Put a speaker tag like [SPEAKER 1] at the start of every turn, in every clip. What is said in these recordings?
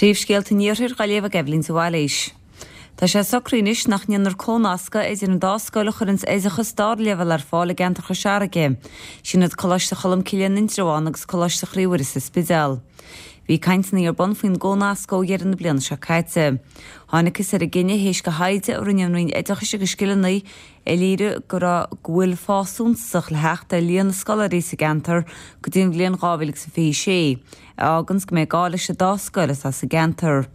[SPEAKER 1] Príomhscéalta an Iarthair dhá léamh ag Eibhlín de Bhailís. Tá sé socraithe anois nach ndéanfar cónascadh idir an dá scoil a chuireanns oideachas dara leibhéal ar fáil i gceantar Chois Fharraige, sin iad Coláiste Cholmcille in Indreabhán agus Coláiste Chroí Mhuire sa Spidéal. Bhí cainteanna ar bun faoin gcónascadh ó dheireadh na bliana seo caite. Tháinigthas ar an gcinneadh théis do thaighde a rinne an Roinn Oideachais agus Scileanna a léirigh go raibh go bhfuil fás suntasach le theacht ar líon na scoláirí sa gceantar go dtí an bhliain 2026, a fháganns go mbeidh gá leis an dá scoil atá sa gceantar.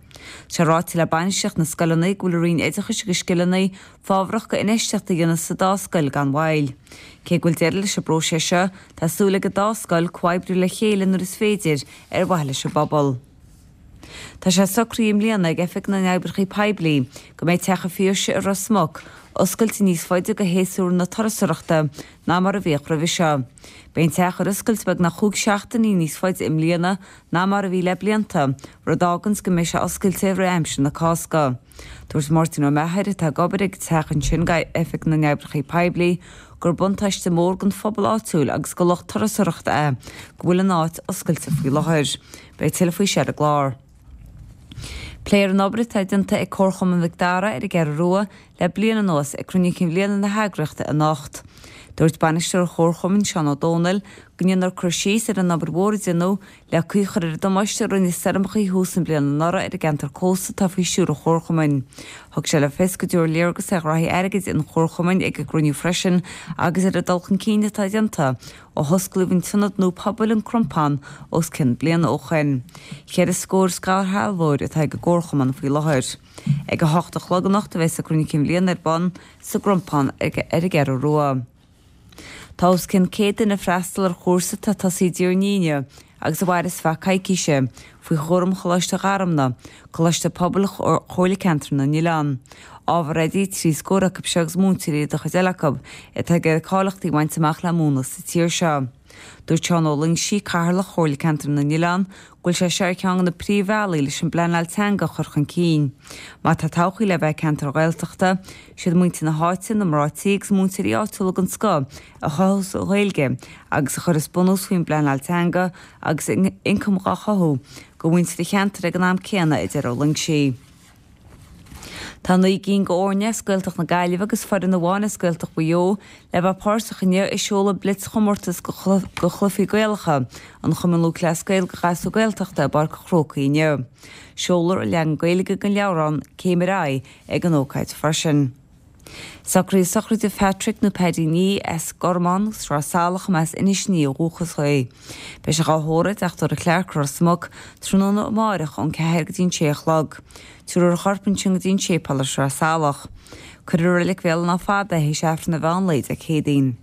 [SPEAKER 1] Tá sé ráite le bainistíocht na scoileanna go bhfuil an Roinn Oideachais agus Scileanna fábharach go infheistíocht a dhéanamh sa dá scoil gan mhoill. Cé go bhfuil deireadh leis an bpróiseas seo, tá súil ag an dá scoil comhoibriú le chéile nuair is féidir ar mhaithe leis an bpobal. Tá sé socraithe i mbliana ag Oifig na nOibreacha Poiblí go mbeidh Teach an Phiarsaigh i Ros Muc oscailte níos faide go shéasúr na turasóireachta ná mar a bhíodh roimhe seo. Beidh an teach ar oscailt beagnach chúig seachtainí níos faide i mbliana ná mar a bhí le blianta, rud a fháganns go mbeidh sé oscailte i rith aimsir na Cásca. Dúirt Máirtín Ó Meachair, atá ag obair ag an teach ansin d'Oifig na nOibreacha Poiblí, gur buntáiste mór don phobal áitiúil agus do lucht turasóireachta é go bhfuil an áit oscailte faoi láthair. Beidh tuilleadh faoi seo ar an gclár. Pléifear an obair atá déanta ag Comharchumann Mhic Dara ar an gCeathrú Rua le bliain anuas ag cruinniú cinn bhliana na heagraíochta anocht. Dúirt bainisteoir an Chomharchumainn, Seán Ó Dónaill, go ndéanfar cur síos ar an obair mhór a déanadh le caoi a chur ar an damáiste a rinne stoirmeacha thús na bliana anuraidh ar an gceantar cósta atá faoi stiúir an Chomharchumainn. Thug sé le fios go dtabharfar léargas ar ghraithí airgid an Chomharchumainn ag an gcruinniú freisin agus ar an dul chun cinn atá déanta ó hosclaíodh an t-ionad nua pobail, An Crompán, os cionn bliana ó shoin. Cheithre scór scairshealbhóir atá ag an gComharchumann faoi láthair. Ag 8 a chlog anocht a bheas an cruinniú cinn bhliana ar bun sa gCrompán ar an gCeathrú Rua. Tá os cionn 100 duine ag freastal ar chúrsa atá tosaithe Dé hAoine agus a mhairfeas feadh coicíse, faoi chúram Choláiste Gharmna, coláiste pobail Chomhairle Ceantar na nOileán. Ábhar oidí, 3 scór acu seo agus múinteoirí do chuid eile acu, atá ag iarraidh cáilíochtaí a bhaint amach le múineadh sa tír seo. Dúirt Seán Ó Loingsigh, Cathaoirleach Chomhairle Ceantar na nOileán, go bhfuil sé seo ar cheann de na príomhbhealaí leis an bpleanáil teanga a chur chun cinn. Má tá todhchaí le bheith ag ceantar Ghaeltachta, siad muintir na háite, na mná tí agus múinteoirí áitiúla den scoth a chothós an Ghaeilge agus a chuirfeas bunús faoin bpleanáil teanga agus ioncam dhá chothú do mhuintir an cheantair ag an am céanna, a deir Ó Loingsigh. Tá 9 gcinn d'fhoirne as Gaeltacht na Gaillimhe agus foireann amháin as Gaeltacht Mhaigh Eo le bheith páirteach inniu i seoladh Blitz-chomórtas de chluichí Gaelacha an Chumainn Lúthchleas Gael do ghasúir Gaeltachta i bPáirc an Chrócaigh inniu. Seolfar an leagan Gaeilge den leabhrán Céim ar Aghaidh ag an ócáid freisin. Socruithe sochraide Phatrick nó Paddy Nee as Gormán, Sraith Salach, as Inis Ní ó dhúchas é. Beidh sé dhá thórramh i dTeach Tórraimh Clarke, Ros Muc, tráthnóna amáireach ón 4 go dtí an 6 a chlog. Tabharfar a chorp ansin go dtí an séipéal i Sraith Salach. Cuirfear i Reilig Bhéal an Átha Fada é théis Aifreann an mheán lae Dé Céadaoin.